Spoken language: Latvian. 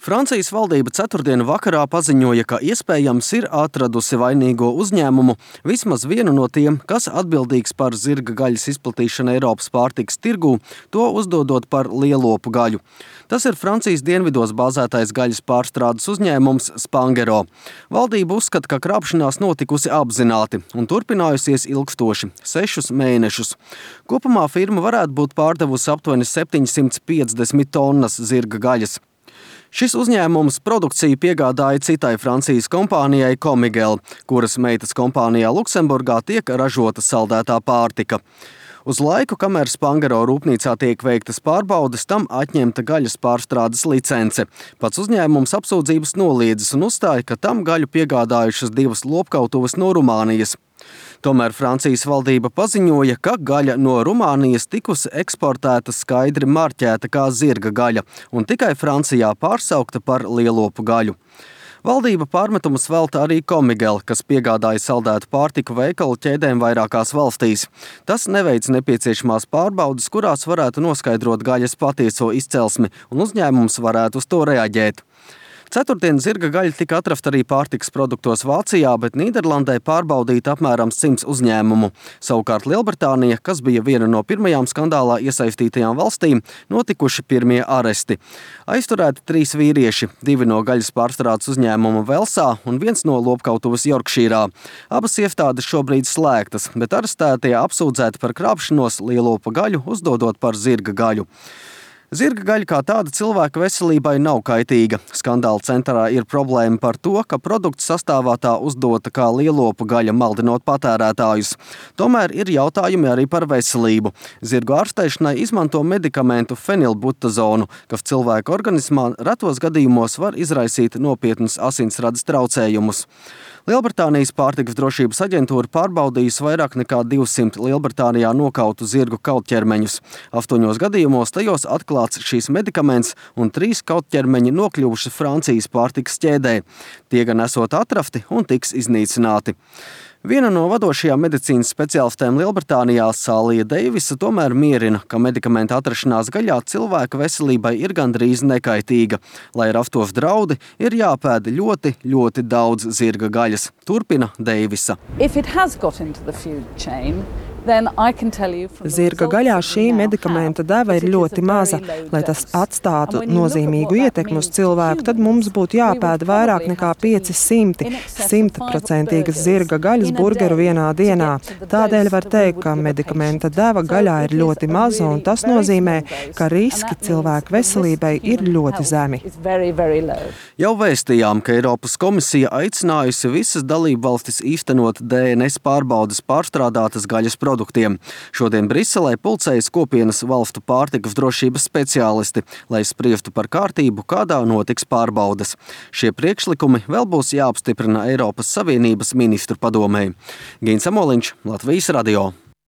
Francijas valdība ceturtdienu vakarā paziņoja, ka iespējams ir atradusi vainīgo uzņēmumu, vismaz vienu no tiem, kas atbildīgs par zirga gaļas izplatīšanu Eiropas pārtikas tirgū, to uzdodot par lielopu gaļu. Tas ir Francijas dienvidos bāzētais gaļas pārstrādes uzņēmums Spangero. Valdība uzskata, ka krāpšanās notikusi apzināti un turpinājusies ilgstoši – 6 mēnešus. Kopumā firma varētu būt pārdevusi aptuveni 750 tonnas zirga gaļas. Šis uzņēmums produkciju piegādāja citai Francijas kompānijai Comigel, kuras meitas kompānijā Luksemburgā tiek ražota saldētā pārtika. Uz laiku, kamēr Spangero rūpnīcā tiek veiktas pārbaudes, tam atņemta gaļas pārstrādes licence. Pats uzņēmums apsūdzības noliedzis un uzstāja, ka tam gaļu piegādājušas 2 lopkautuves no Rumānijas. Tomēr Francijas valdība paziņoja, ka gaļa no Rumānijas tikusi eksportēta skaidri marķēta kā zirga gaļa un tikai Francijā pārsaukta par lielopu gaļu. Valdība pārmetumus velta arī Comigel, kas piegādāja saldētu pārtiku veikalu ķēdēm vairākās valstīs. Tas neveic nepieciešamās pārbaudes, kurās varētu noskaidrot gaļas patieso izcelsmi, un uzņēmums varētu uz to reaģēt. Ceturtdien zirga gaļa tika atrasta arī pārtikas produktos Vācijā, bet Nīderlandē pārbaudīta apmēram 100 uzņēmumu. Savukārt Lielbritānija, kas bija viena no pirmajām skandālā iesaistītajām valstīm, notikuši pirmie aresti. Aizturēti 3 vīrieši, 2 no gaļas pārstrādes uzņēmuma Velsā un 1 no lopkautuves Jorkšīrā. Abas iestādes šobrīd slēgtas, bet arestētie apsūdzēti par krāpšanos lielopa gaļu, uzdodot par zirga gaļu. Zirga gaļa kā tāda cilvēka veselībai nav kaitīga. Skandāla centrā ir problēma par to, ka produkts sastāvā tā uzdota kā lielopu gaļa, maldinot patērētājus. Tomēr ir jautājumi arī par veselību. Zirgu ārstēšanai izmanto medikamentu fenilbutazonu, kas cilvēka organismā retos gadījumos var izraisīt nopietnus asinsradas traucējumus. Lielbritānijas pārtikas drošības aģentūra pārbaudījusi vairāk nekā 200 Lielbritānijā nokautu zirgu kautķermeņus. 8 gadījumos tajos atklāts šīs medikaments un 3 kautķermeņi nokļuvuši Francijas pārtikas ķēdē. Tie gan esot atrasti un tiks iznīcināti. Viena no vadošajām medicīnas speciālistēm Lielbritānijā, Sālija Deivisa, tomēr mierina, ka medikamenta atrašanās gaļā cilvēka veselībai ir gandrīz nekaitīga. Lai rastos draudi, ir jāpēd ļoti daudz zirga gaļas. Turpina Deivisa. Zirga gaļā šī medikamenta deva ir ļoti maza. Lai tas atstātu nozīmīgu ietekmi uz cilvēku, tad mums būtu jāpēd vairāk nekā 500 100% zirga gaļas burgeru vienā dienā. Tādēļ var teikt, ka medikamenta deva gaļā ir ļoti maza, un tas nozīmē, ka riski cilvēku veselībai ir ļoti zemi. Jau vēstījām, ka Eiropas komisija aicinājusi visas dalībvalstis īstenot DNS pārbaudes pārstrādātas gaļas produktiem. Šodien Briselē pulcējas kopienas valstu pārtikas drošības speciālisti, lai spriestu par kārtību, kādā notiks pārbaudes. Šie priekšlikumi vēl būs jāapstiprina Eiropas Savienības ministru padomei. Gins Amoliņš, Latvijas radio.